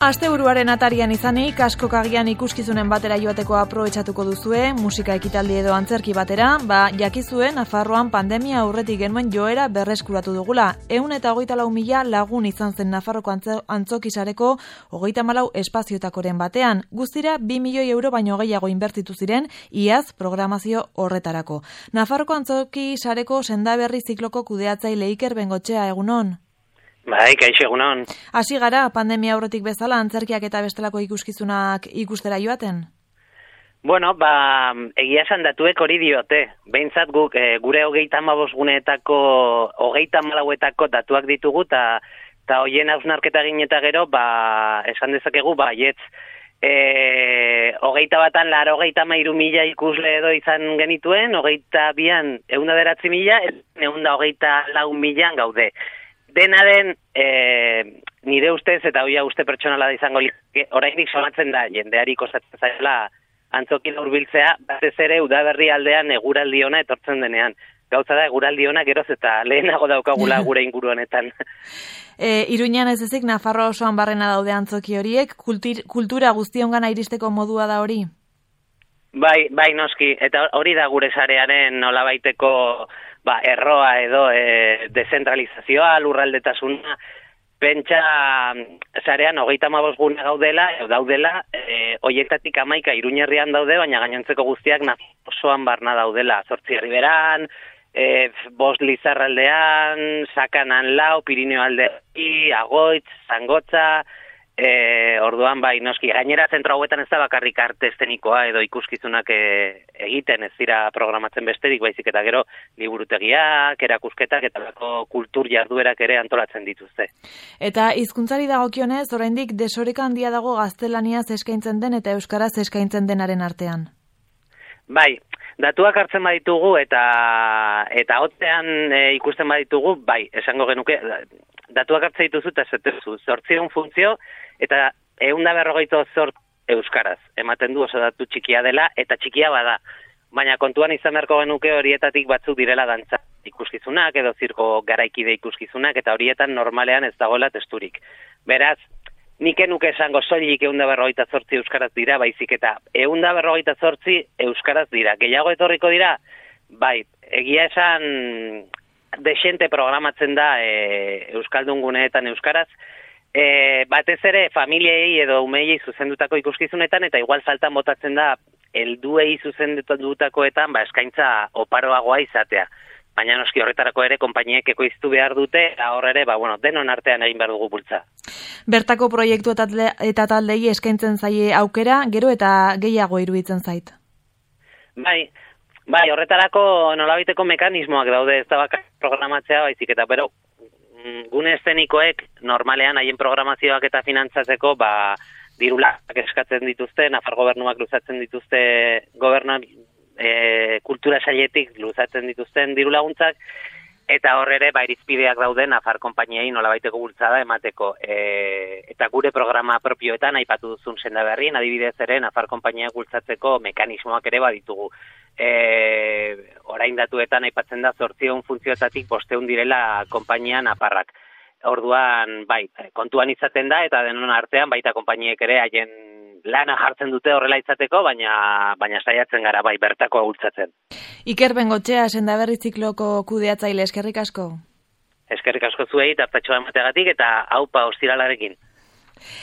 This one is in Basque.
Asteburuaren atarian izanik, askokagian ikuskizunen batera joateko aprobetxatuko duzue, musika ekitaldi edo antzerki batera, jakizue Nafarroan pandemia aurretik genuen joera berreskuratu dugula. 124.000 lagun izan zen Nafarroko antzokisareko 34 espazioetakoren batean. Guztira 2 milioi euro baino gehiago inbertitu ziren, iaz programazio horretarako. Nafarroko antzokisareko sendaberri zikloko kudeatzaile Iker Bengoetxea, egunon. Bai, kaixo, egunon. Hasi gara, pandemia aurretik bezala, antzerkiak eta bestelako ikuskizunak ikustera joaten? Bueno, egia esan datuek hori diote. Behintzat guk, gure 35 guneetako, 34etako datuak ditugu, eta hoien hausnarketa egin eta gero, esan dezakegu, baietz. 21an 93.000 ikusle edo izan genituen, 22an 109.000, 124.000 gaude. Dena den, nire ustez, eta hoia uste pertsonala da izango oraindik somatzen da, jendeari kostatzen zaila antzokin hurbiltzea, batez ere udaberri aldean eguraldi ona etortzen denean. Gauza da, eguraldi ona geroz eta lehenago daukagula gure inguru honetan. Iruñan ez ezik, Nafarro osoan barrena daude antzoki horiek, kultura guztiongana iristeko modua da hori? Bai, noski, eta hori da gure sarearen nolabaiteko erroa edo dezentralizazioa, lurraldetasuna, pentsa sarean 35 gune daudela, hoietatik 11 Iruñerrian daude, baina gainontzeko guztiak osoan barna daudela, 8 Herriberan, 5 Lizarraldean, Sakanan 4, Pirineo aldean, Agoitz, Zangotza, orduan noski, gainera zentro hauetan ez da bakarrik arte eszenikoa edo ikuskizunak egiten, ez dira programatzen besterik, baizik eta gero liburutegiak, erakusketak eta lako kultur jarduerak ere antolatzen dituzte. Eta hizkuntzari dagokionez, oraindik desoreka handia dago gaztelaniaz eskaintzen den eta euskaraz eskaintzen denaren artean. Bai, datuak hartzen baditugu eta hotzean ikusten baditugu, esango genuke, datuak hartzen dituzu eta zetezu, 800 funtzio eta 148 euskaraz. Ematen du oso datu txikia dela eta txikia bada. Baina kontuan izan beharko genuke horietatik batzuk direla dantza ikuskizunak edo zirko garaikide ikuskizunak eta horietan normalean ez dagoela testurik. Beraz, nik enuke esango soilik 148 euskaraz dira, baizik eta 148 euskaraz dira. Gehiago etorriko dira? Bai, egia esan desente programatzen da euskaldun guneetan euskaraz, batez ere familiei edo umeiei zuzendutako ikuskizunetan eta igual faltan botatzen da helduei zuzendutakoetan eskaintza oparoagoa izatea. Baina noski horretarako ere konpainiek ekoiztu behar dute, hor ere, denon artean egin behar dugu bultza. Bertako proiektu eta taldei eskaintzen zaie aukera, gero eta gehiago iruditzen zait. Bai, horretarako nolabiteko mekanismoak daude, ez da bakar programatzea, baizik eta, pero gune eszenikoek normalean haien programazioak eta finantzatzeko, dirulak eskatzen dituzte, Nafar gobernuak luzatzen dituzte, kultura sailetik luzatzen dituzten diru laguntzak, eta hor ere irizpideak daude Nafar konpainiei nolabaiteko bultzada emateko. Eta gure programa propioetan aipatu duzun sendaberrien, adibidez ere Nafar konpainiak bultzatzeko mekanismoak ere baditugu. Orain datuetan aipatzen da 800 funtzioetatik 500 direla konpainia nafarrak. Orduan, kontuan izaten da eta denon artean baita konpainiek ere haien lana jartzen dute horrela izateko, baina saiatzen gara bertakoa bultzatzen. Iker Bengoetxea, sendaberri zikloko kudeatzaile, eskerrik asko. Eskerrik asko zuei, tartatxoa emateagatik eta aupa ostiralarekin.